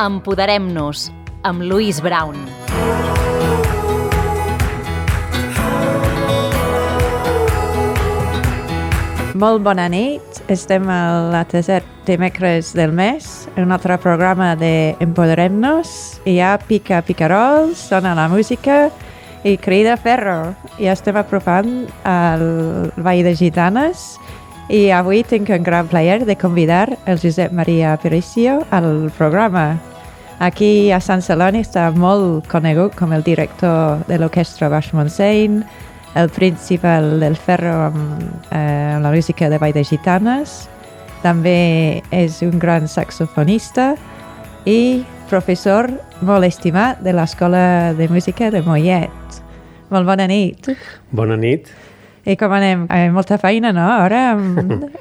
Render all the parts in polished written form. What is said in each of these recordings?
Empoderem-nos, amb Louise Brown. Molt bona nit. Estem al tercer dimecres del mes, un altre programa de Empoderem-nos. Hi ha picarols, sona la música i crida ferro. I estem apropant al Vall de Gitanes i avui tinc un gran plaer de convidar el Josep Maria Aparicio al programa. Aquí a Sant Celoni està molt conegut com el director de l'Orquestra Baix Montseny, el principal del ferro amb la música de Vall de Gitanes. També és un gran saxofonista i professor molt estimat de l'Escola de Música de Mollet. Molt bona nit. Bona nit. I com anem? Molta feina, no? Ara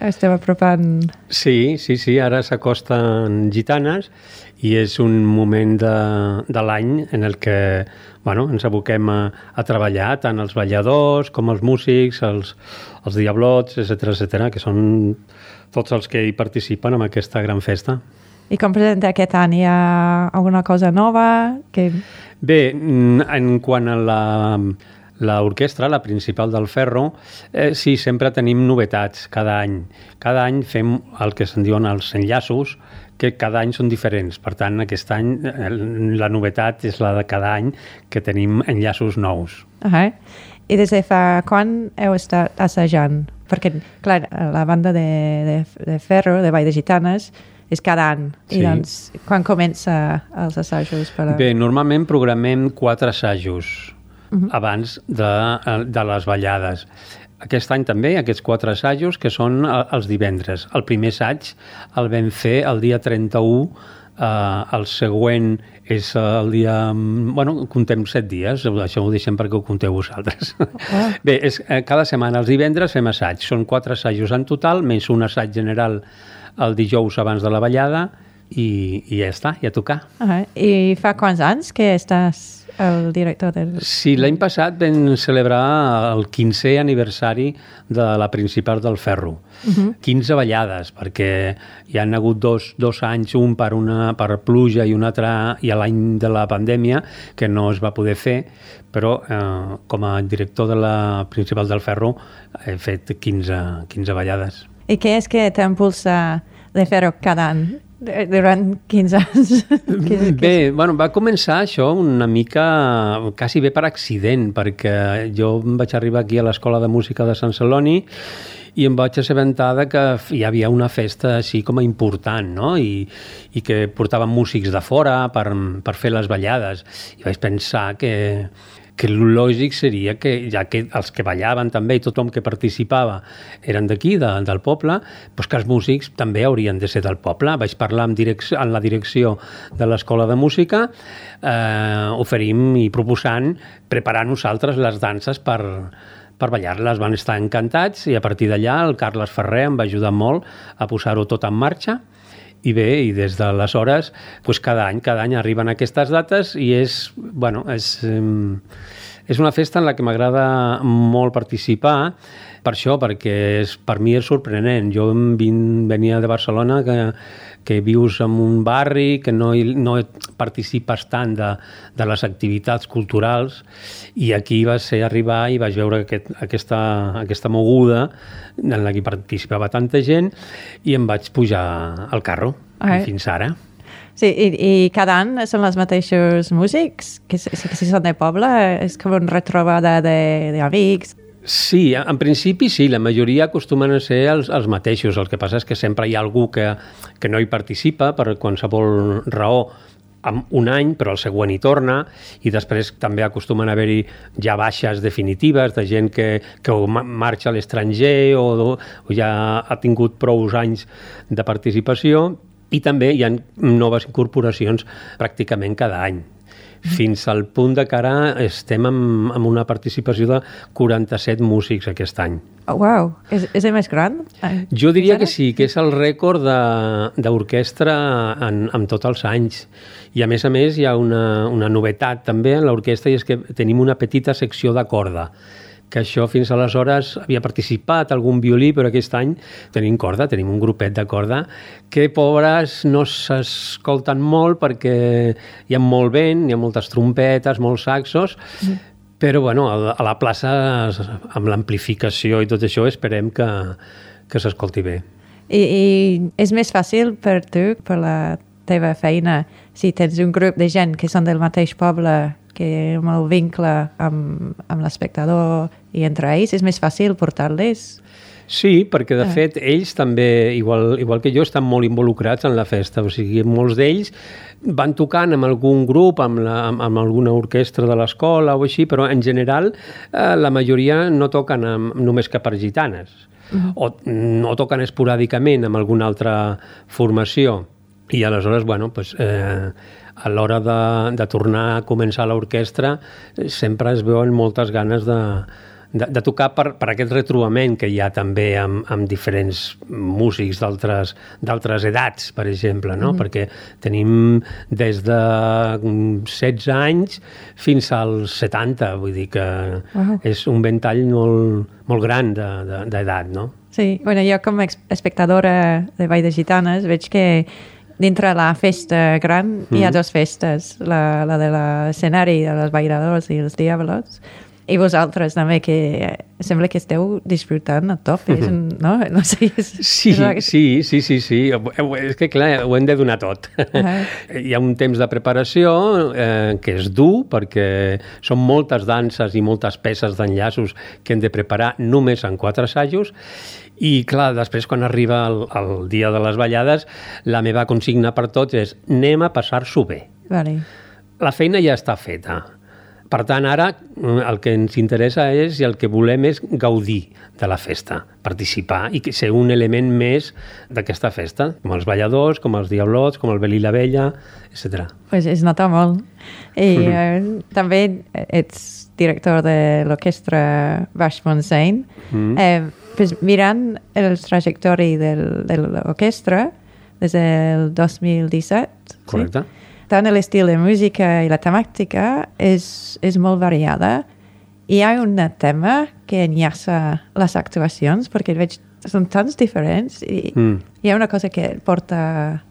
estem apropant... Sí, ara s'acosten Gitanes i és un moment de l'any en el que ens aboquem a treballar, tant els balladors com els músics, els diablots, etc., que són tots els que hi participen en aquesta gran festa. I com presenta aquest any? Hi ha alguna cosa nova? Bé, en quant a l'orquestra, la principal del ferro, sí, sempre tenim novetats cada any. Cada any fem el que se'n diuen els enllaços, que cada any són diferents. Per tant, aquest any la novetat és la de cada any, que tenim enllaços nous. I des de fa quan heu estat assajant? Perquè, clar, la banda de ferro, de Vall de Gitanes, és cada any. Sí. I doncs, quan comença els assajos? Bé, normalment programem 4 assajos abans de les ballades. Aquest any també, aquests 4 assajos, que són els divendres. El primer assaig el vam fer el dia 31, el següent és el dia... contem 7 dies, això ho deixem perquè ho conteu vosaltres. Bé, cada setmana els divendres fem assaig. Són 4 assajos en total, més un assaig general el dijous abans de la ballada i ja està, ja tocar. I fa quants anys que estàs el director del... Sí, l'any passat vam celebrar el 15è aniversari de la principal del ferro. 15 ballades, perquè hi han hagut dos anys, un per pluja i un altre i a l'any de la pandèmia, que no es va poder fer, però com a director de la principal del ferro he fet 15 ballades. I què és que t'impulsa de fer-ho cada any? Durant 15 anys? Bé, va començar això una mica quasi bé per accident, perquè jo vaig arribar aquí a l'Escola de Música de Sant Celoni i em vaig assabentar que hi havia una festa així com a important, no? I que portaven músics de fora per fer les ballades. I vaig pensar que el lògic seria que, ja que els que ballaven també i tothom que participava eren d'aquí, del poble, doncs que els músics també haurien de ser del poble. Vaig parlar en la direcció de l'Escola de Música, oferim i proposant preparar nosaltres les danses per ballar-les. Van estar encantats i a partir d'allà el Carles Ferrer em va ajudar molt a posar-ho tot en marxa. I bé, i des d'aleshores, cada any arriben aquestes dates i és una festa en la que m'agrada molt participar, per això, perquè per mi és sorprenent. Jo venia de Barcelona, que vius en un barri, que no participes tant de les activitats culturals, i aquí va ser arribar i vaig veure aquesta moguda en la que participava tanta gent i em vaig pujar al carro, fins ara. Sí, i cada any són els mateixos músics? Que si són de poble, és com una retrobada d'amics? Sí, en principi sí, la majoria acostumen a ser els mateixos. El que passa és que sempre hi ha algú que no hi participa per qualsevol raó un any, però el següent hi torna, i després també acostumen a haver-hi ja baixes definitives de gent que marxa a l'estranger o ja ha tingut prou anys de participació, i també hi ha noves incorporacions pràcticament cada any. Fins al punt de que ara estem amb una participació de 47 músics aquest any. Uau, és el més gran? Jo diria que sí, que és el rècord d'orquestra en tots els anys. I a més hi ha una novetat també en l'orquestra, i és que tenim una petita secció de corda. que això fins aleshores havia participat algun violí, però aquest any tenim corda, tenim un grupet de corda que, pobres, no s'escolten molt perquè hi ha molt vent, hi ha moltes trompetes, molts saxos, però bueno, a la plaça, amb l'amplificació i tot això, esperem que s'escolti bé. I és més fàcil per tu, per la teva feina, si tens un grup de gent que són del mateix poble, que amb el vincle amb l'espectador i entre ells, és més fàcil portar-les? Sí, perquè de fet ells també, igual que jo, estan molt involucrats en la festa. O sigui, molts d'ells van tocant amb algun grup, amb alguna orquestra de l'escola o així, però en general la majoria no toquen només que per gitanes. O no toquen esporàdicament amb alguna altra formació. I aleshores, bueno, pues, a l'hora de tornar a començar l'orquestra sempre es veuen moltes ganes de tocar per aquest retrobament que hi ha també amb diferents músics d'altres edats, per exemple, no? Perquè tenim des de 16 anys fins als 70, vull dir que és un ventall molt gran d'edat, no? Sí, bueno, jo com a espectadora de Ball de Gitanes veig que dintre la festa gran hi ha dues festes, la de l'escenari de les balladors i els diablos, i vosaltres també, que sembla que esteu disfrutant a top, no? No sé, sí. És que clar, ho hem de donar tot. Hi ha un temps de preparació que és dur, perquè són moltes danses i moltes peces d'enllaços que hem de preparar només en 4 assajos. I clar, després quan arriba el dia de les ballades, la meva consigna per tots és anem a passar-s'ho bé. Vale. La feina ja està feta. Per tant, ara el que ens interessa és i el que volem és gaudir de la festa, participar i ser un element més d'aquesta festa, com els balladors, com els diablots, com el Bel i la Bella, etc. Pues es nota molt. I també ets director de l'orquestra Baix Montseny. Pues mirant el trajectori de l'orquestra des del 2017, correcte. Sí? Tant l'estil de música i la temàtica és molt variada. Hi ha un tema que enllaça les actuacions, perquè veig són tants diferents i hi ha una cosa que et porta...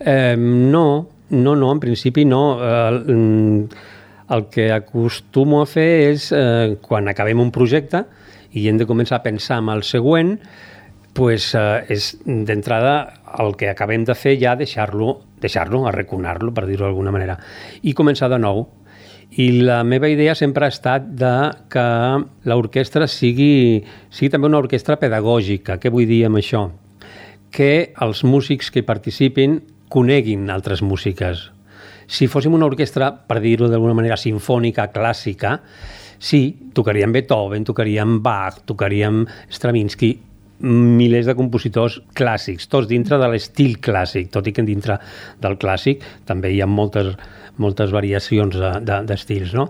No, en principi no. El que acostumo a fer és, quan acabem un projecte i hem de començar a pensar en el següent, pues, és d'entrada el que acabem de fer ja deixar-lo, arraconar-lo, per dir-ho d'alguna manera, i començar de nou. I la meva idea sempre ha estat que l'orquestra sigui també una orquestra pedagògica. Què vull dir amb això? Que els músics que participin coneguin altres músiques. Si fóssim una orquestra, per dir-ho d'alguna manera, sinfònica, clàssica, sí, tocaríem Beethoven, tocaríem Bach, tocaríem Stravinsky, milers de compositors clàssics, tots dintre de l'estil clàssic, tot i que dintre del clàssic també hi ha moltes variacions d'estils, no?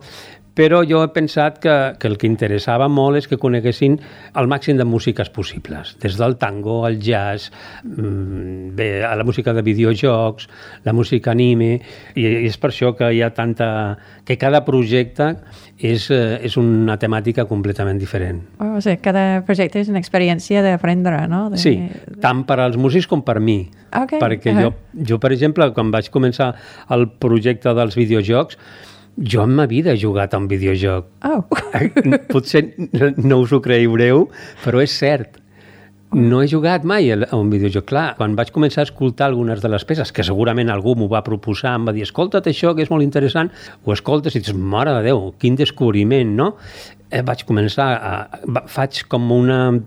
Però jo he pensat que el que interessava molt és que coneguessin el màxim de músiques possibles, des del tango, al jazz, a la música de videojocs, la música anime, i és per això que hi ha que cada projecte és una temàtica completament diferent. O sigui, cada projecte és una experiència d'aprendre, no? Sí, tant per als músics com per mi. Okay. Perquè jo, per exemple, quan vaig començar el projecte dels videojocs, jo en ma vida he jugat a un videojoc. Potser no us ho creureu, però és cert. No he jugat mai a un videojoc. Clar, quan vaig començar a escoltar algunes de les peces, que segurament algú m'ho va proposar, em va dir, escolta't això, que és molt interessant, ho escoltes i dius, mare de Déu, quin descobriment, no? Vaig començar, faig com un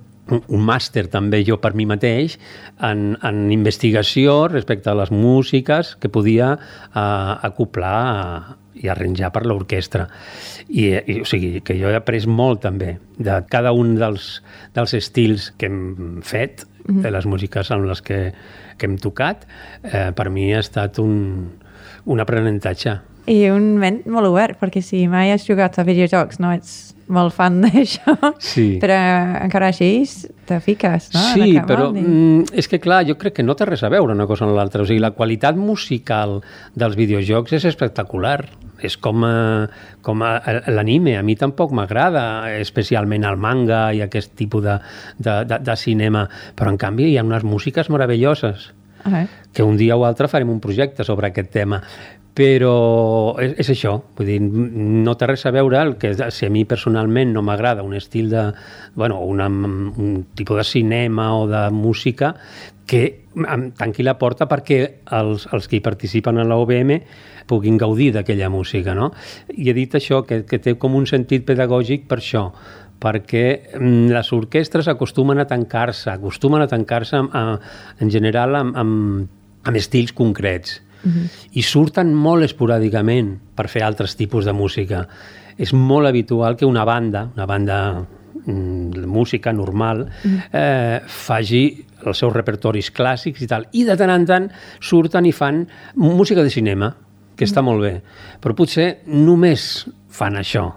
màster també jo per mi mateix en investigació respecte a les músiques que podia acoplar i arranjar per l'orquestra. O sigui, que jo he après molt també de cada un dels estils que hem fet, de les músiques amb les que hem tocat. Per mi ha estat un aprenentatge. I un ment molt obert, perquè si mai has jugat a videojocs no ets molt fan d'això, però encara així te fiques, no? Sí, però és que clar, jo crec que no té res a veure una cosa amb l'altra. O sigui, la qualitat musical dels videojocs és espectacular. És com l'anime. A mi tampoc m'agrada, especialment el manga i aquest tipus de cinema. Però, en canvi, hi ha unes músiques meravelloses. Que un dia o altre farem un projecte sobre aquest tema. Però és això, vull dir, no té res a veure el que si a mi personalment no m'agrada un estil un tipus de cinema o de música, que em tanqui la porta perquè els que hi participen a l'OBM puguin gaudir d'aquella música, no? I he dit això, que té com un sentit pedagògic per això, perquè les orquestres acostumen a tancar-se en general amb estils concrets. I surten molt esporàdicament per fer altres tipus de música. És molt habitual que una banda de música normal faci els seus repertoris clàssics i tal, i de tant en tant surten i fan música de cinema, que està molt bé, però potser només fan això,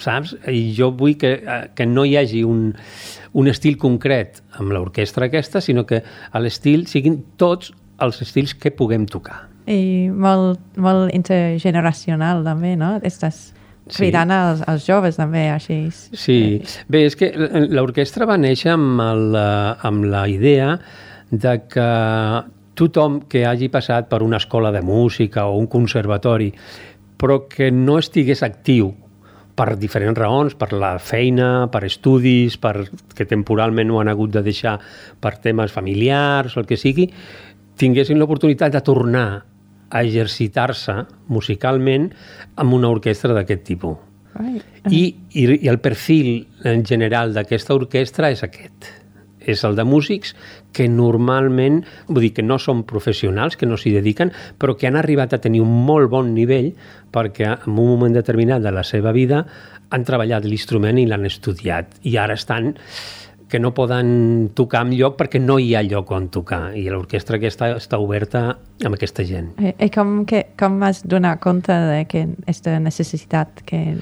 saps? I jo vull que no hi hagi un estil concret amb l'orquestra aquesta, sinó que l'estil siguin tots els estils que puguem tocar. I molt intergeneracional també, no? Estàs cridant als joves també, així. Sí, bé, és que l'orquestra va néixer amb la idea de que tothom que hagi passat per una escola de música o un conservatori, però que no estigués actiu per diferents raons, per la feina, per estudis, que temporalment ho han hagut de deixar per temes familiars o el que sigui, tinguessin l'oportunitat de tornar a exercitar-se musicalment amb una orquestra d'aquest tipus. I el perfil en general d'aquesta orquestra és aquest. És el de músics que normalment, vull dir que no són professionals, que no s'hi dediquen, però que han arribat a tenir un molt bon nivell perquè en un moment determinat de la seva vida han treballat l'instrument i l'han estudiat. I ara estan que no poden tocar enlloc perquè no hi ha lloc on tocar. I l'orquestra aquesta està oberta amb aquesta gent. I com has donat compte d'aquesta necessitat que...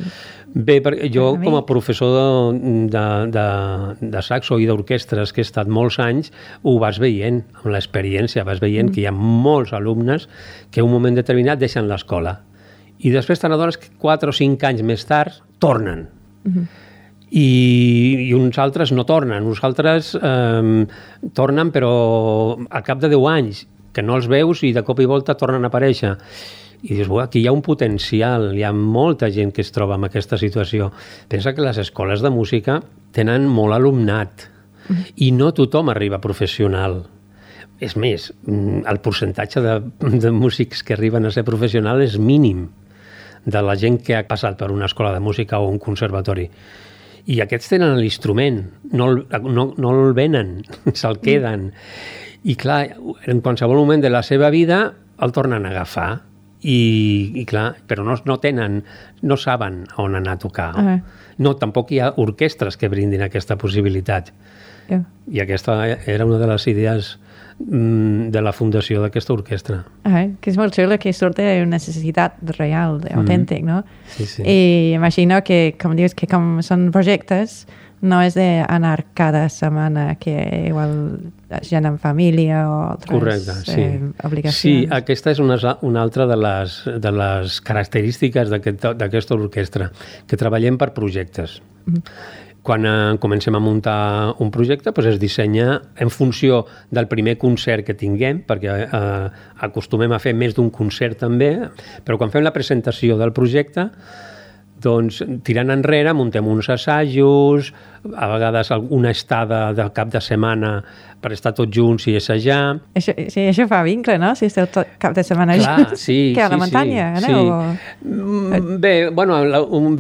Bé, jo com a professor de saxo i d'orquestres que he estat molts anys, ho vas veient amb l'experiència, vas veient que hi ha molts alumnes que en un moment determinat deixen l'escola i després te n'adones que 4 o 5 anys més tard tornen. I uns altres no tornen, uns altres tornen però al cap de 10 anys, que no els veus i de cop i volta tornen a aparèixer. I dius, aquí hi ha un potencial, hi ha molta gent que es troba en aquesta situació. Pensa que les escoles de música tenen molt alumnat i no tothom arriba professional. És més, el percentatge de músics que arriben a ser professional és mínim de la gent que ha passat per una escola de música o un conservatori. I aquests tenen l'instrument, no el venen, se'l queden. I clar, en qualsevol moment de la seva vida el tornen a agafar. I clar, però no saben on anar a tocar. No, tampoc hi ha orquestres que brindin aquesta possibilitat. I aquesta era una de les idees de la fundació d'aquesta orquestra. Que és molt xulo que surti una necessitat real, autèntic, no? Sí, sí. I imagino que, com dius, que com són projectes, no és d'anar cada setmana, que igual gent en família o altres obligacions. Sí, aquesta és una altra de les característiques d'aquesta orquestra, que treballem per projectes. Quan comencem a muntar un projecte, es dissenya en funció del primer concert que tinguem, perquè acostumem a fer més d'un concert també, però quan fem la presentació del projecte, doncs, tirant enrere, muntem uns assajos, a vegades una estada de cap de setmana per estar tots junts i assajar. Això fa vincle, no? Si esteu tot cap de setmana junts. Sí, que a la muntanya, aneu? Bé, bueno,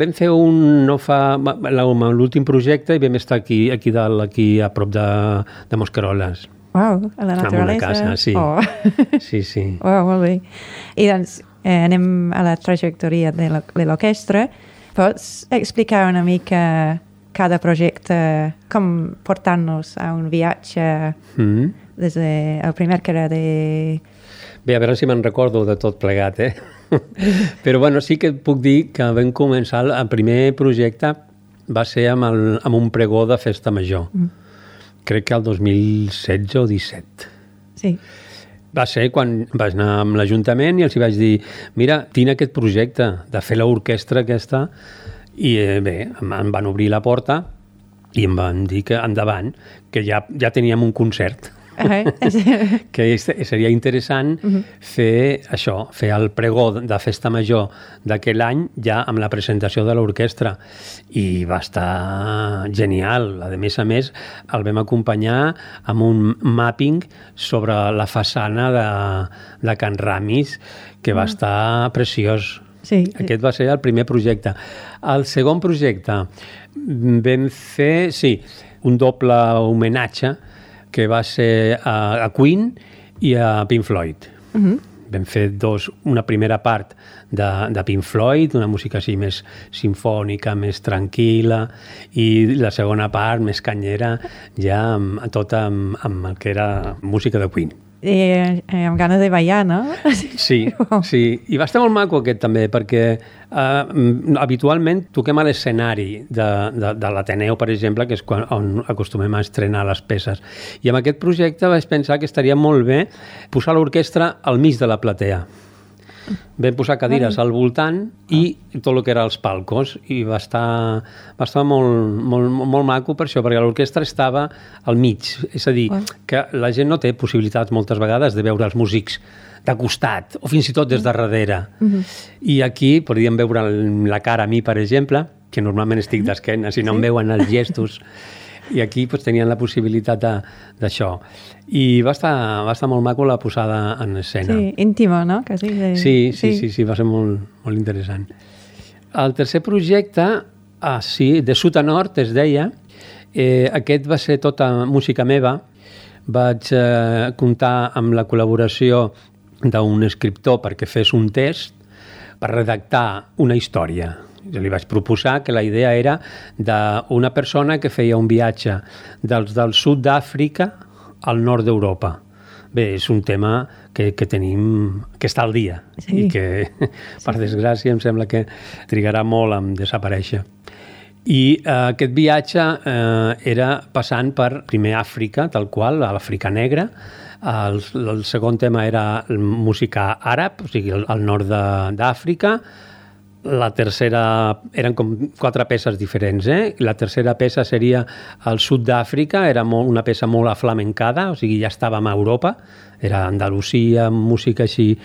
vam fer l'últim projecte i vam estar aquí a prop de Mosqueroles. Uau, a la naturalesa. En una casa, sí. Sí. Uau, molt bé. I doncs anem a la trajectòria de l'orquestra. Pots explicar una mica cada projecte, com portar-nos a un viatge des del primer que era de Bé, a veure si me'n recordo de tot plegat, Però bueno, sí que puc dir que vam començar, el primer projecte va ser amb un pregó de festa major. Crec que el 2016 o 17. Sí. Va ser quan vaig anar amb l'Ajuntament i els hi vaig dir, mira, tinc aquest projecte de fer l'orquestra aquesta, i bé, em van obrir la porta i em van dir que endavant, que ja teníem un concert. Que seria interessant fer això, fer el pregó de festa major d'aquell any ja amb la presentació de l'orquestra, i va estar genial. A més, el vam acompanyar amb un mapping sobre la façana de Can Ramis, que va estar preciós. Sí. Aquest va ser el primer projecte. El segon projecte vam fer, un doble homenatge que va ser a Queen i a Pink Floyd. Vam fer una primera part de Pink Floyd, una música així més simfònica, més tranquil·la, i la segona part més canyera, ja tot amb el que era música de Queen. I amb ganes de ballar, no? Sí. I va estar molt maco aquest també, perquè habitualment toquem a l'escenari de l'Ateneu, per exemple, que és on acostumem a estrenar les peces. I amb aquest projecte vaig pensar que estaria molt bé posar l'orquestra al mig de la platea. Vam posar cadires al voltant i tot el que era els palcos, i va estar molt maco per això, perquè l'orquestra estava al mig. És a dir, que la gent no té possibilitats moltes vegades de veure els músics de costat o fins i tot des de darrere. I aquí podríem veure la cara a mi, per exemple, que normalment estic d'esquena, si no em veuen els gestos. I aquí tenien la possibilitat d'això. I va estar molt maco la posada en escena. Sí, íntima, no? Quasi. Sí, va ser molt, molt interessant. El tercer projecte, de sud a nord, es deia, aquest va ser tota música meva. Vaig comptar amb la col·laboració d'un escriptor perquè fes un test per redactar una història. Jo li vaig proposar que la idea era d'una persona que feia un viatge del sud d'Àfrica al nord d'Europa. Bé, és un tema que tenim, que està al dia, i que, per desgràcia, em sembla que trigarà molt a desaparèixer. I aquest viatge era passant per primer Àfrica, tal qual, a l'Àfrica Negra. El segon tema era música àrab, o sigui, al nord d'Àfrica. La tercera, eren com 4 peces diferents, La tercera peça seria al sud d'Àfrica, era una peça molt aflamencada, o sigui, ja estàvem a Europa, era Andalusia, música així.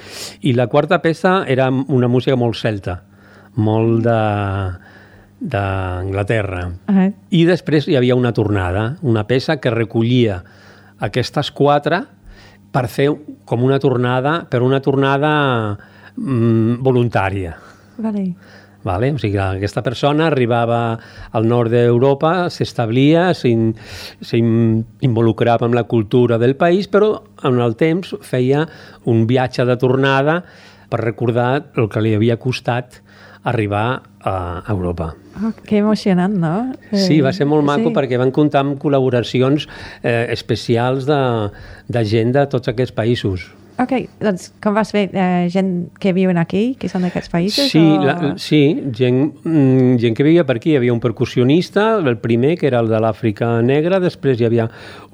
I la quarta peça era una música molt celta, molt d'Anglaterra. I després hi havia una tornada, una peça que recollia aquestes 4 per fer com una tornada, però una tornada voluntària. Vale? O sigui, aquesta persona arribava al nord d'Europa, s'establia, s'involucrava amb la cultura del país, però en el temps feia un viatge de tornada per recordar el que li havia costat arribar a Europa. Que emocionant, no? Sí, va ser molt maco perquè van comptar amb col·laboracions especials de gent de tots aquests països. Ok, doncs com vas fer? Gent que viuen aquí, que són d'aquests països? Sí, gent que vivia per aquí. Hi havia un percussionista, el primer, que era el de l'Àfrica Negra, després hi havia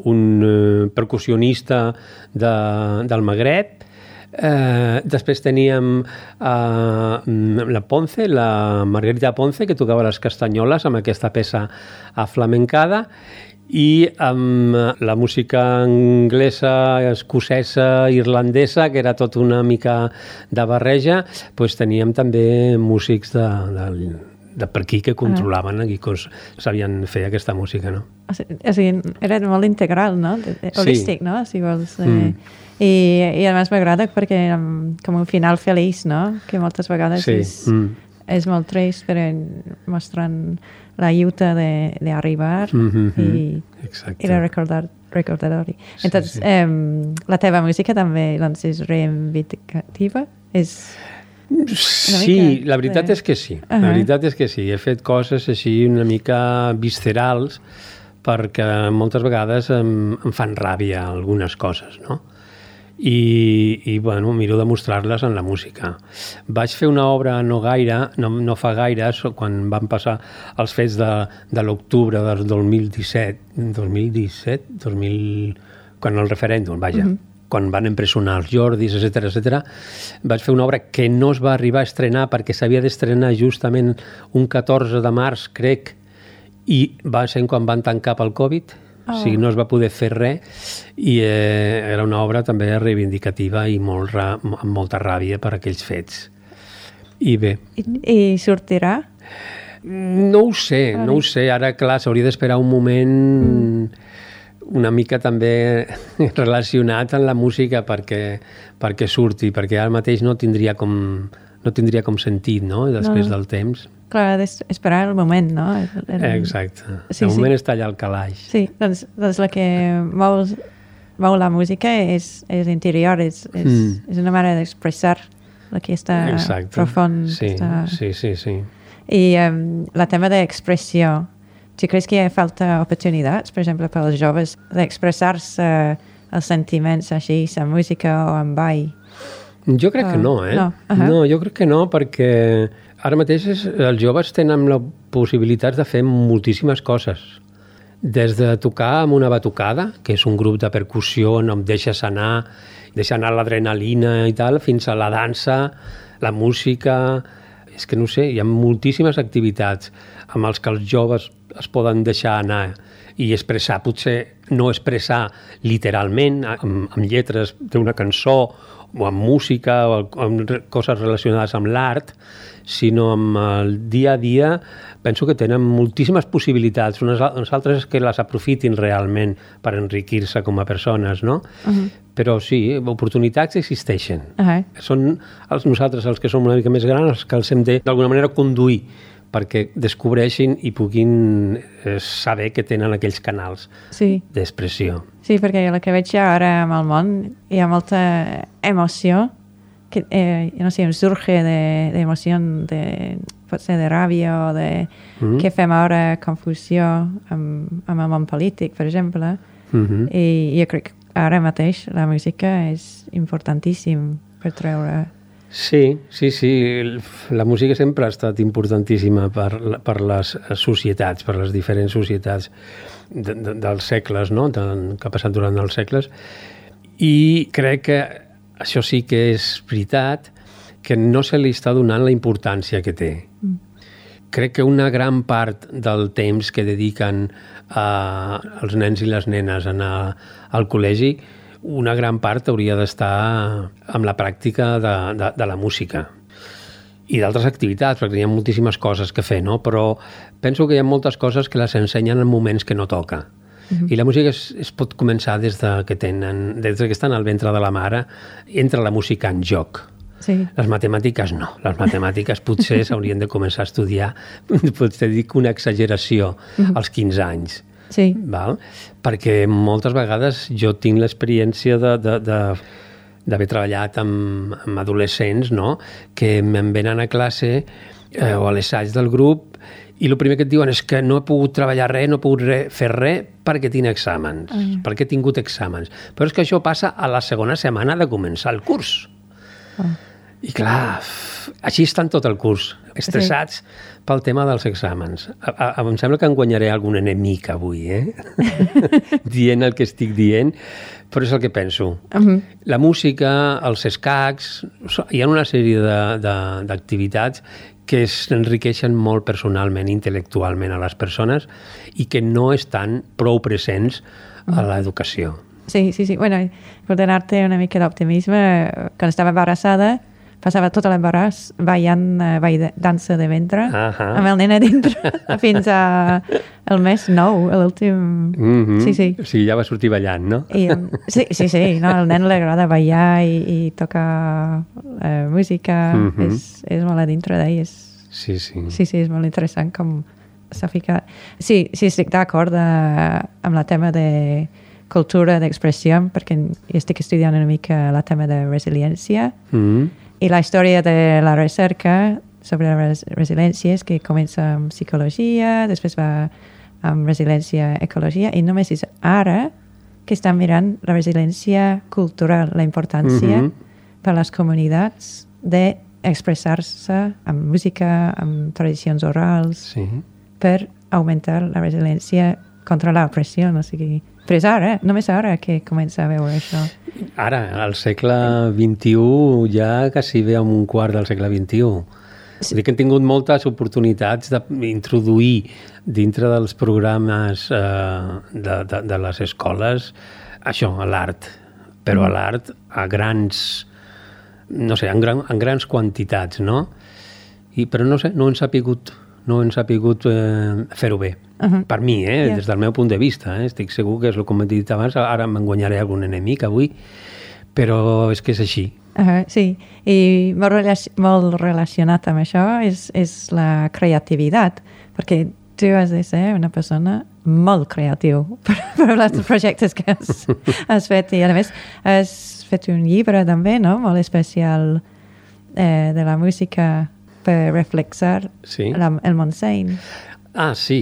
un percussionista del Magreb, després teníem la Ponce, la Margarita Ponce, que tocava les castanyoles amb aquesta peça aflamencada, i amb la música anglesa, escocesa, irlandesa, que era tot una mica de barreja, doncs teníem també músics de per aquí que controlaven aquí, que sabien fer aquesta música, no? O sigui, era molt integral, no? Holístic, no? Si vols. I a més m'agrada perquè com un final feliç, no? Que moltes vegades és molt trist, però mostrant la lluita d'arribar i de recordatori. Entonces, la teva música també és reivindicativa? Sí, la veritat és que sí. La veritat és que sí. He fet coses així una mica viscerals perquè moltes vegades em fan ràbia algunes coses, no? i bueno, miro de mostrar-les en la música. Vaig fer una obra no fa gaire, quan van passar els fets de l'octubre del 2017, quan el referèndum, vaja, quan van empresonar els Jordis, etc. Vaig fer una obra que no es va arribar a estrenar perquè s'havia d'estrenar justament un 14 de març, crec, i va ser quan van tancar pel Covid. O sigui, no es va poder fer res i era una obra també reivindicativa i amb molta ràbia per aquells fets. I bé. I sortirà? No ho sé. Ara, clar, s'hauria d'esperar un moment una mica també relacionat amb la música perquè surti, perquè ara mateix no tindria com sentit, no?, després del temps. Clar, esperar el moment, no? Exacte. El moment està allà al calaix. Sí, doncs el que mou la música és interior, és una manera d'expressar el que està profund. Sí. I el tema d'expressió, tu creus que hi ha falta oportunitats, per exemple, per als joves, d'expressar-se els sentiments així, la música o en ball? Jo crec que no, No, jo crec que no, perquè ara mateix els joves tenen la possibilitat de fer moltíssimes coses. Des de tocar amb una batucada, que és un grup de percussió on em deixa anar l'adrenalina i tal, fins a la dansa, la música. És que no sé, hi ha moltíssimes activitats amb els que els joves es poden deixar anar i expressar, potser no expressar literalment amb lletres d'una cançó o amb música o amb coses relacionades amb l'art, sinó amb el dia a dia. Penso que tenen moltíssimes possibilitats. Uns altres que les aprofitin realment per enriquir-se com a persones, no? Però sí, oportunitats existeixen. Són nosaltres, els que som una mica més grans, els que els hem de, d'alguna manera, conduir perquè descobreixin i puguin saber que tenen aquells canals d'expressió. Sí, perquè el que veig ara amb el món hi ha molta emoció, que no sé, em surge d'emoció, potser de ràbia o de què fem ara, confusió amb el món polític, per exemple. I jo crec que ara mateix la música és importantíssim per treure. Sí. La música sempre ha estat importantíssima per les societats, per les diferents societats dels segles, no?, que ha passat durant els segles. I crec que això sí que és veritat, que no se li està donant la importància que té. Crec que una gran part del temps que dediquen els nens i les nenes a anar al col·legi, una gran part hauria d'estar amb la pràctica de la música i d'altres activitats, perquè hi ha moltíssimes coses que fer, no? Però penso que hi ha moltes coses que les ensenyen en moments que no toca. I la música es pot començar des que estan al ventre de la mare, entra la música en joc. Les matemàtiques no. Les matemàtiques potser s'haurien de començar a estudiar, potser dic una exageració, als 15 anys. Val? Perquè moltes vegades jo tinc l'experiència d'haver treballat amb adolescents, no?, que me'n venen a classe o a l'assaig del grup i el primer que et diuen és que no he pogut treballar res, no he pogut fer res perquè tinc exàmens, perquè he tingut exàmens. Però és que això passa a la segona setmana de començar el curs. I clar, així estan tot el curs, estressats pel tema dels exàmens. Em sembla que em guanyaré algun enemic avui, dient el que estic dient, però és el que penso. La música, els escacs, hi ha una sèrie d'activitats que s'enriqueixen molt personalment, intel·lectualment a les persones i que no estan prou presents a l'educació. Sí. Bueno, per donar-te una mica d'optimisme, quan estava embarassada, passava tot l'embaràs ballant dansa de ventre amb el nen a dintre fins al mes 9, l'últim... Sí. O sigui, ja va sortir ballant, no? Sí. No, al nen li agrada ballar i tocar música. És molt a dintre d'ell. Sí, és molt interessant com s'ha ficat. Sí, estic d'acord amb el tema de cultura d'expressió, perquè estic estudiant una mica el tema de resiliència. I la història de la recerca sobre la resiliència és que comença amb psicologia, després va amb resiliència ecologia, i només és ara que estan mirant la resiliència cultural, la importància per a les comunitats d'expressar-se amb música, amb tradicions orals, per augmentar la resiliència contra l'opressió. No sigui... Però és ara, només ara que comença a veure això. Ara, al segle XXI, ja quasi ve amb un quart del segle XXI. Sí. Que hem tingut moltes oportunitats d'introduir dintre dels programes de les escoles això, a l'art, però a l'art a grans, no sé, en grans quantitats, no? Però no sé, no hem sapigut fer-ho bé. Per mi, des del meu punt de vista. Estic segur que és el que m'he dit abans, ara me'n guanyaré algun enemic avui, però és que és així. Sí, i molt relacionat amb això és la creativitat, perquè tu has de ser una persona molt creatiu per els projectes que has fet, i a més has fet un llibre també, no?, molt especial de la música per reflexar el Montseny. Sí.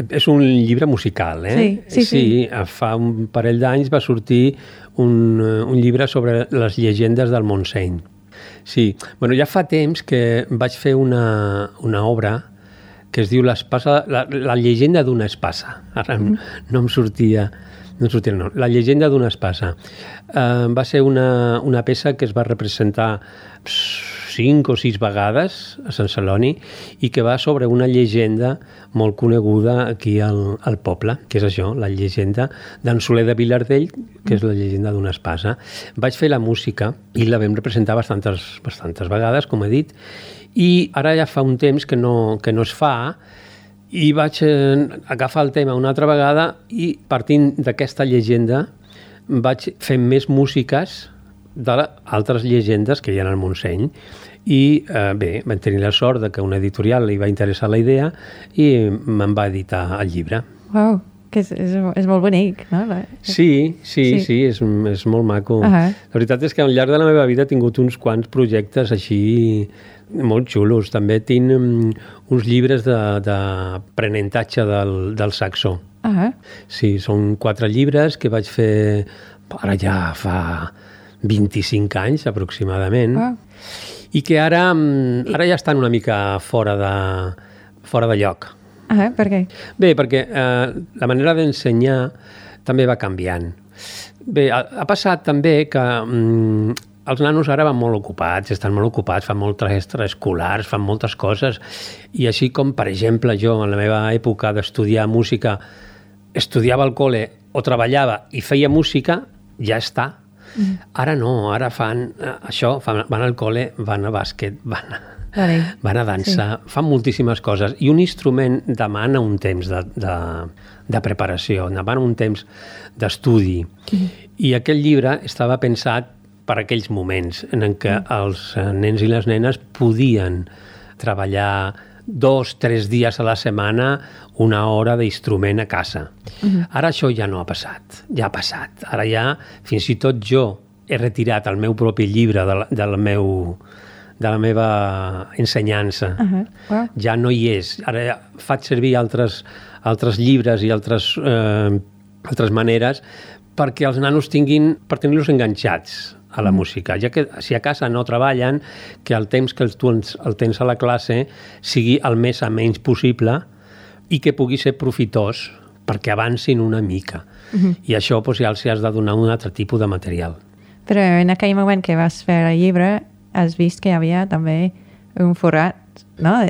És un llibre musical, Sí. Fa un parell d'anys va sortir un llibre sobre les llegendes del Montseny. Sí. Bueno, ja fa temps que vaig fer una obra que es diu la llegenda d'una espasa. Ara no em sortia... No. La llegenda d'una espasa. Va ser una peça que es va representar 5 o 6 vegades a Sant Celoni i que va sobre una llegenda molt coneguda aquí al poble, que és això, la llegenda d'en Soler de Vilardell, que és la llegenda d'una espasa. Vaig fer la música i la vam representar bastantes vegades, com he dit, i ara ja fa un temps que no es fa, i vaig agafar el tema una altra vegada i partint d'aquesta llegenda vaig fer més músiques d'altres llegendes que hi ha al Montseny i vam tenir la sort de que una editorial li va interessar la idea i me'n va editar el llibre. Uau, que és molt bonic, no? Sí, és molt maco. La veritat és que al llarg de la meva vida he tingut uns quants projectes així molt xulos. També tinc uns llibres d'aprenentatge del saxó. Sí, són 4 llibres que vaig fer ara ja fa 25 anys aproximadament, i que ara ja estan una mica fora de lloc. Per què? Bé, perquè la manera d'ensenyar també va canviant. Bé, ha passat també que els nanos ara van molt ocupats, estan molt ocupats, fan moltes extraescolars, fan moltes coses, i així com, per exemple, jo en la meva època d'estudiar música estudiava al col·le o treballava i feia música, ja està. Ara no, ara fan això, van al col·le, van a bàsquet, van a dansa, fan moltíssimes coses. I un instrument demana un temps de preparació, demana un temps d'estudi. I aquest llibre estava pensat per aquells moments en què els nens i les nenes podien treballar 2-3 dies a la setmana 1 hora d'instrument a casa. Ara això ja no ha passat, ja ha passat. Ara ja, fins i tot jo he retirat el meu propi llibre de la meva ensenyança. Ja no hi és. Ara faig servir altres llibres i altres maneres perquè els nanos per tenir-los enganxats a la música, ja que si a casa no treballen, que el temps que tu el tens a la classe sigui el més a menys possible i que pugui ser profitós perquè avancin una mica. I això ja els has de donar un altre tipus de material. Però en aquell moment que vas fer el llibre has vist que hi havia també un forat, no?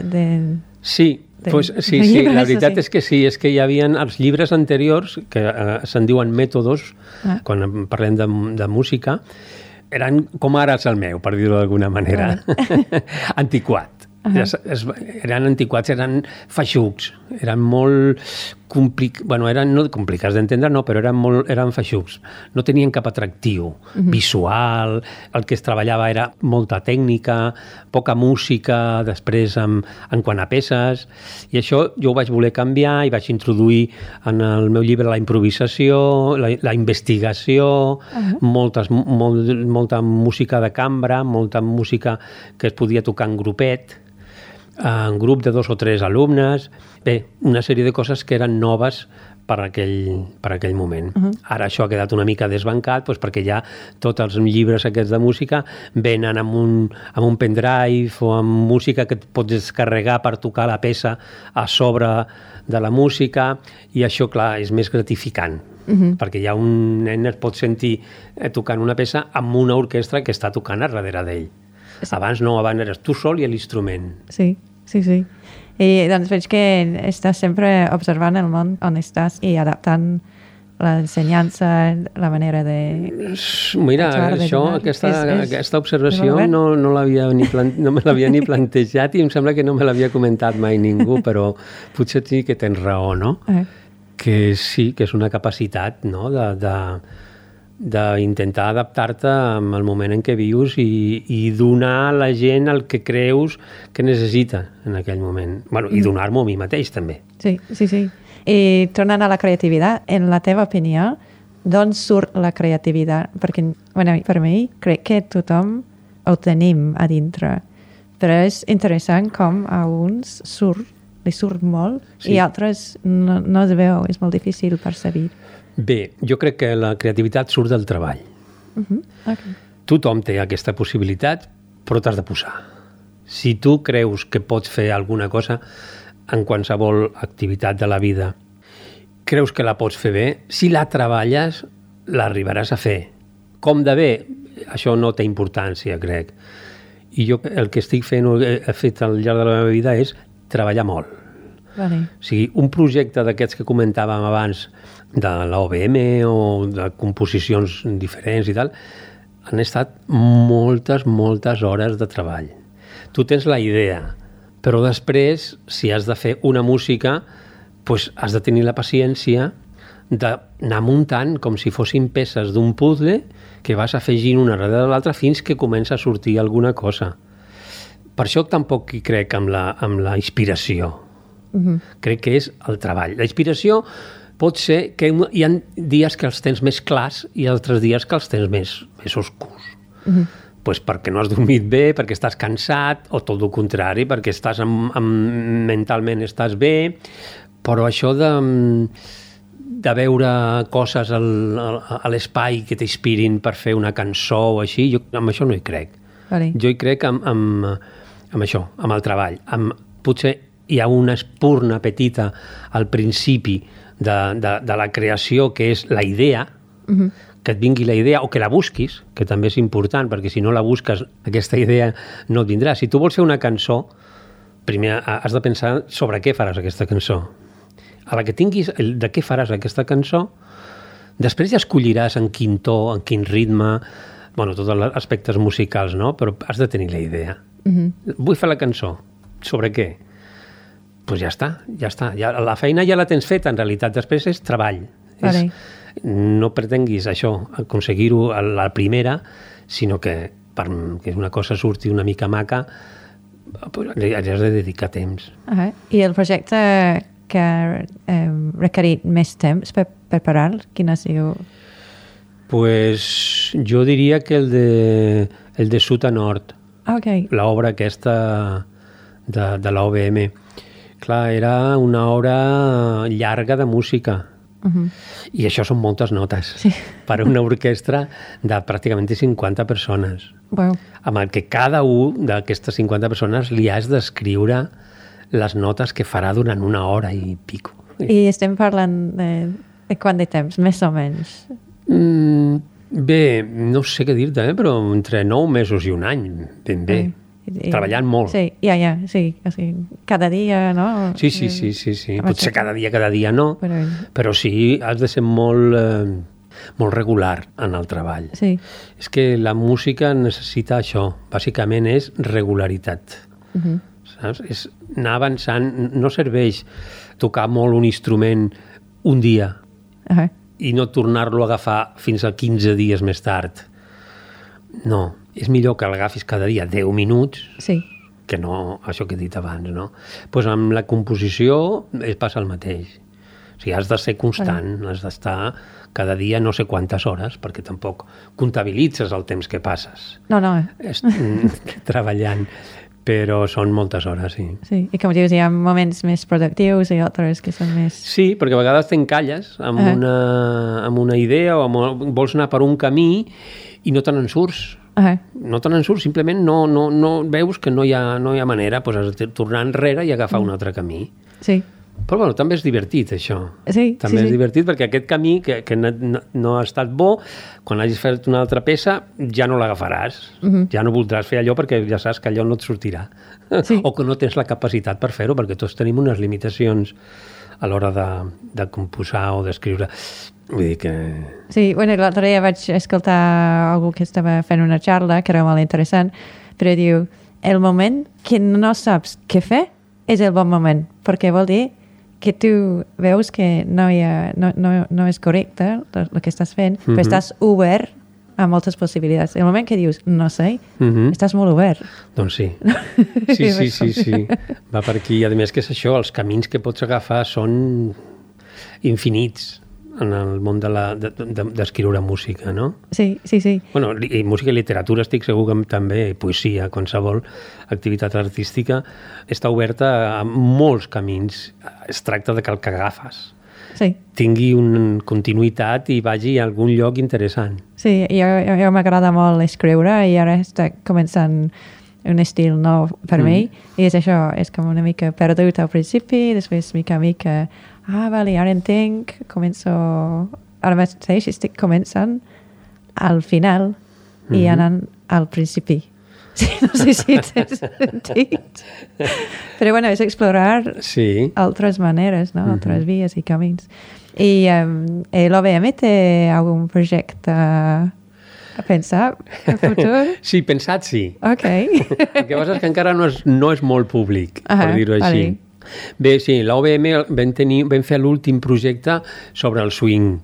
Sí, la veritat és que sí, és que hi havia els llibres anteriors, que se'n diuen mètodes, quan parlem de música, eren com ara el meu, per dir-ho d'alguna manera, antiquat. Eren antiquats, eren feixucs, eren molt eren no complicats d'entendre, no, però eren feixucs. No tenien cap atractiu visual, el que es treballava era molta tècnica, poca música, després en quant a peces, i això jo ho vaig voler canviar i vaig introduir en el meu llibre la improvisació, la investigació, molta música de cambra, molta música que es podia tocar en grupet, en grup de 2 o 3 alumnes. Bé, una sèrie de coses que eren noves per aquell moment. Ara això ha quedat una mica desbancat doncs perquè ja tots els llibres aquests de música venen amb un pendrive o amb música que et pots descarregar per tocar la peça a sobre de la música, i això, clar, és més gratificant, perquè ja un nen es pot sentir tocant una peça amb una orquestra que està tocant a darrere d'ell. Sí. Abans no, abans eres tu sol i l'instrument. Sí. I doncs veig que estàs sempre observant el món on estàs i adaptant l'ensenyança, la manera de... Mira, aquesta observació no me l'havia ni plantejat i em sembla que no me l'havia comentat mai ningú, però potser sí que tens raó, no? Que sí, que és una capacitat, no?, d'intentar adaptar-te al moment en què vius i donar a la gent el que creus que necessita en aquell moment. Bueno, i donar-m'ho a mi mateix, també. Sí. I tornant a la creativitat, en la teva opinió, d'on surt la creativitat? Perquè, per mi, crec que tothom ho tenim a dintre, però és interessant com a uns li surt molt, i altres no es veu, és molt difícil percebre. Bé, jo crec que la creativitat surt del treball. Okay. Tothom té aquesta possibilitat, però t'has de posar. Si tu creus que pots fer alguna cosa en qualsevol activitat de la vida, creus que la pots fer bé, si la treballes, l'arribaràs a fer. Com de bé? Això no té importància, crec. I jo el que estic fent, he fet al llarg de la meva vida, és treballar molt. Vale. O sigui, un projecte d'aquests que comentàvem abans, de l'OBM o de composicions diferents i tal, han estat moltes hores de treball. Tu tens la idea, però després, si has de fer una música, doncs has de tenir la paciència d'anar muntant com si fossin peces d'un puzzle que vas afegint una darrere l'altra fins que comença a sortir alguna cosa. Per això tampoc hi crec amb la inspiració. Crec que és el treball. La inspiració pot ser que hi ha dies que els tens més clars i altres dies que els tens més oscurs. Pues perquè no has dormit bé, perquè estàs cansat, o tot el contrari, perquè estàs mentalment estàs bé, però això de veure coses a l'espai que t'inspirin per fer una cançó o així, jo amb això no hi crec. Vale. Jo hi crec amb això, amb el treball. Potser hi ha una espurna petita al principi de la creació, que és la idea, que et vingui la idea o que la busquis, que també és important, perquè si no la busques, aquesta idea no et vindrà. Si tu vols fer una cançó, primer has de pensar sobre què faràs aquesta cançó. A la que tinguis de què faràs aquesta cançó, després ja escolliràs en quin to, en quin ritme, bueno, tots els aspectes musicals, no? Però has de tenir la idea. Vull fer la cançó. Sobre què? Doncs ja està. Ja, la feina ja la tens feta, en realitat. Després és treball. Vale. No pretenguis això, aconseguir-ho a la primera, sinó que perquè una cosa surti una mica maca, li has de dedicar temps. I el projecte que ha requerit més temps per preparar, quin ha sigut? Pues jo diria que el de sud a nord. Okay. L'obra aquesta de l'OBM. Clar, era una obra llarga de música. I això són moltes notes per a una orquestra de pràcticament 50 persones. Wow. Amb el que cada un d'aquestes 50 persones li has d'escriure les notes que farà durant una hora i pico. I estem parlant de quant de temps, més o menys? Bé, no sé què dir-te, però entre 9 mesos i un any, ben bé. Treballant molt. Sí, sí. Cada dia, no? Sí. Potser cada dia no, però sí, has de ser molt regular en el treball. Sí. És que la música necessita això, bàsicament és regularitat. Saps? És anar avançant, no serveix tocar molt un instrument un dia i no tornar-lo a agafar fins a 15 dies més tard. No, és millor que l'agafis cada dia 10 minuts que no això que he dit abans, no? Doncs amb la composició passa el mateix. O sigui, has de ser constant, has d'estar cada dia no sé quantes hores, perquè tampoc comptabilitzes el temps que passes. No. Treballant. però són moltes hores, sí. Sí, i com dius, hi ha moments més productius i altres que són més... Sí, perquè a vegades t'encalles amb una idea o vols anar per un camí i no te n'en surts. No te n'en surts, simplement no veus que no hi ha manera, doncs has de tornar enrere i agafar un altre camí. Sí. Però bueno, també és divertit, això. Sí, també és divertit perquè aquest camí que no ha estat bo, quan hagis fet una altra peça, ja no l'agafaràs. Ja no voldràs fer allò perquè ja saps que allò no et sortirà. Sí. O que no tens la capacitat per fer-ho, perquè tots tenim unes limitacions a l'hora de composar o d'escriure. Vull dir que... Sí, bueno, l'altre dia vaig escoltar algú que estava fent una xarra, que era molt interessant, però diu, el moment que no saps què fer és el bon moment, perquè vol dir que tu veus que no és correcte el que estàs fent, però estàs obert a moltes possibilitats. El moment que dius, no sé, estàs molt obert. Doncs sí. Sí. Va per aquí. I a més que és això, els camins que pots agafar són infinits en el món d'escriure música, no? Sí. Bueno, i música i literatura estic segur que també, poesia, qualsevol activitat artística, està oberta a molts camins. Es tracta de que el que agafes tingui una continuïtat i vagi a algun lloc interessant. Sí, jo m'agrada molt escriure i ara està començant un estil nou per mi, i és això, és com una mica perdut al principi, després mica a mica, vale, ara entenc, ara mateix estic començant al final i anant al principi. Sí, no sé si tens sentit. Però bueno, és explorar altres maneres, no? Altres vies i camins. I l'OBM té algun projecte a pensar en futur? Sí, pensat sí. Ok. El que passa és que encara no és molt públic, per dir-ho així. Bé, sí, l'OBM vam fer l'últim projecte sobre el swing.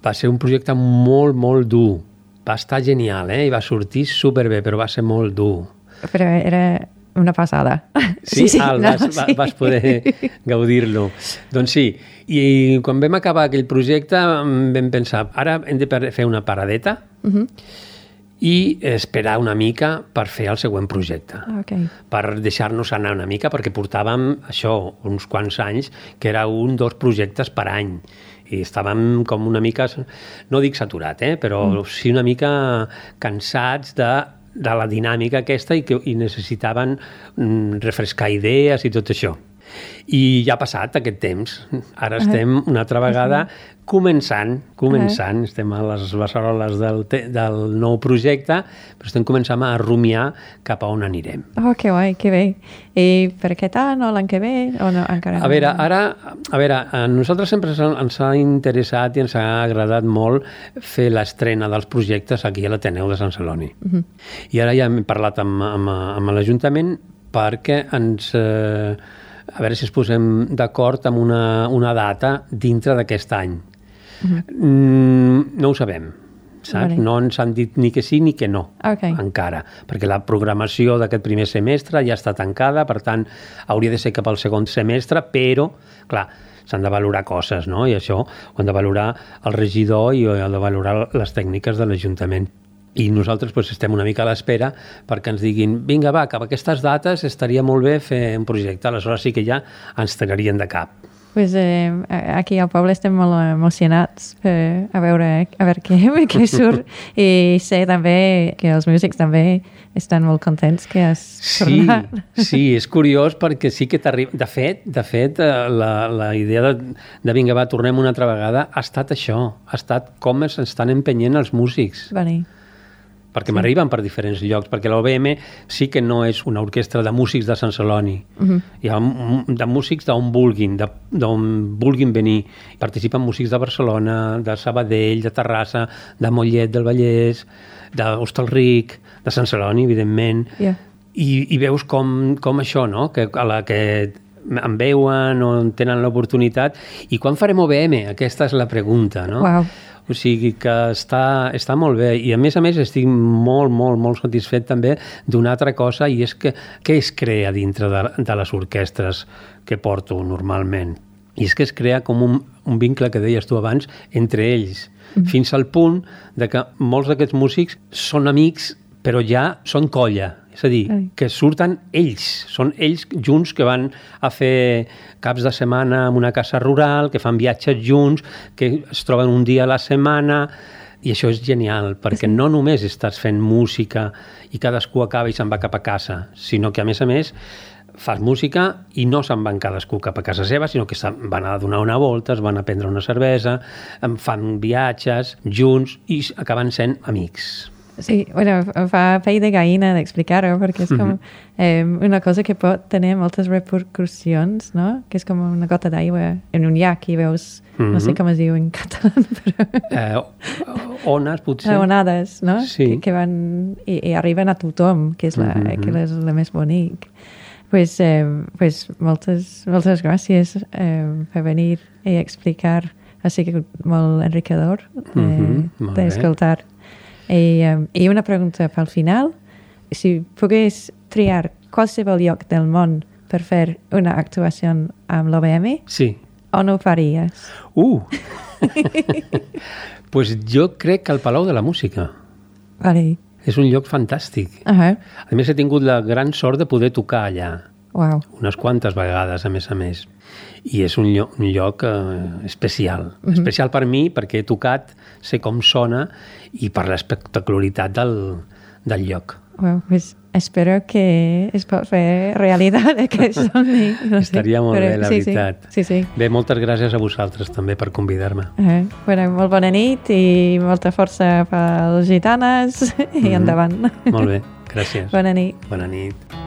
Va ser un projecte molt, molt dur. Va estar genial, i va sortir superbé, però va ser molt dur. Però era una passada. Sí, vas poder gaudir-lo. Doncs sí, i quan vam acabar aquell projecte vam pensar, ara hem de fer una paradeta i esperar una mica per fer el següent projecte. Per deixar-nos anar una mica, perquè portàvem això, uns quants anys, que era 2 projectes per any. I estàvem com una mica, no dic saturat, però sí una mica cansats de la dinàmica aquesta i necessitaven refrescar idees i tot això. I ja ha passat aquest temps. Ara estem una altra vegada començant. Estem a les beceroles del nou projecte, però estem començant a rumiar cap a on anirem. Oh, que guai, que bé. I per què tant, o l'any que ve? O no, encara a veure, a nosaltres sempre ens ha interessat i ens ha agradat molt fer l'estrena dels projectes aquí a l'Ateneu de Sant Celoni. I ara ja hem parlat amb l'Ajuntament perquè ens... a veure si ens posem d'acord amb una data dintre d'aquest any. No ho sabem, saps? No ens han dit ni que sí ni que no, encara, perquè la programació d'aquest primer semestre ja està tancada, per tant, hauria de ser cap al segon semestre, però, clar, s'han de valorar coses, no? I això ho han de valorar el regidor i ho han de valorar les tècniques de l'Ajuntament. I nosaltres estem una mica a l'espera perquè ens diguin, vinga, va, cap a aquestes dates estaria molt bé fer un projecte, aleshores sí que ja ens tragarien de cap. Pues aquí al poble estem molt emocionats a veure què surt, i sé també que els músics també estan molt contents que has tornat. Sí, és curiós perquè sí que t'arriba... De fet, la idea de vinga, va, tornem una altra vegada ha estat això, ha estat com estan empenyent els músics. Perquè m'arriben per diferents llocs, perquè l'OBM sí que no és una orquestra de músics de Sant Celoni. Hi ha de músics d'on vulguin venir. Participen músics de Barcelona, de Sabadell, de Terrassa, de Mollet del Vallès, d'Hostalric, de Sant Celoni, evidentment. I veus com això, no? Que a la que em veuen o tenen l'oportunitat. I quan farem OBM? Aquesta és la pregunta, no? O sigui que està molt bé, i a més estic molt, molt, molt satisfet també d'una altra cosa, i és que què es crea dintre de les orquestres que porto normalment? I és que es crea com un vincle que deies tu abans entre ells, fins al punt de que molts d'aquests músics són amics però ja són colla. És a dir, que surten ells, són ells junts que van a fer caps de setmana en una casa rural, que fan viatges junts, que es troben un dia a la setmana, i això és genial, perquè no només estàs fent música i cadascú acaba i se'n va cap a casa, sinó que, a més, fas música i no se'n van cadascú cap a casa seva, sinó que van a donar una volta, es van a prendre una cervesa, fan viatges junts i acaben sent amics. Sí, bueno, fa pell de gallina d'explicar-ho, perquè és com una cosa que pot tenir moltes repercussions, no? Que és com una gota d'aigua en un llac i veus, no sé com es diu en català, però... Ones, potser. Onades, no? Sí. Que van i arriben a tothom, que és la més bonic. Pues moltes gràcies per venir i explicar. Ha sigut molt enriquidor d'escoltar. I una pregunta pel final. Si pogués triar qualsevol lloc del món per fer una actuació amb l'OBM, sí. On ho faries? Pues jo crec que el Palau de la Música. Vale. És un lloc fantàstic. A més, he tingut la gran sort de poder tocar allà. Wow. Unes quantes vegades, a més. I és un lloc especial. Especial per mi, perquè he tocat, sé com sona, i per l'espectacularitat del lloc. Well, pues espero que es pot fer realitat aquest somni. No sé. Estaria molt bé, la veritat. Sí. Bé, moltes gràcies a vosaltres també per convidar-me. Molt bona nit i molta força pels gitanes i endavant. Molt bé, gràcies. Bona nit. Bona nit.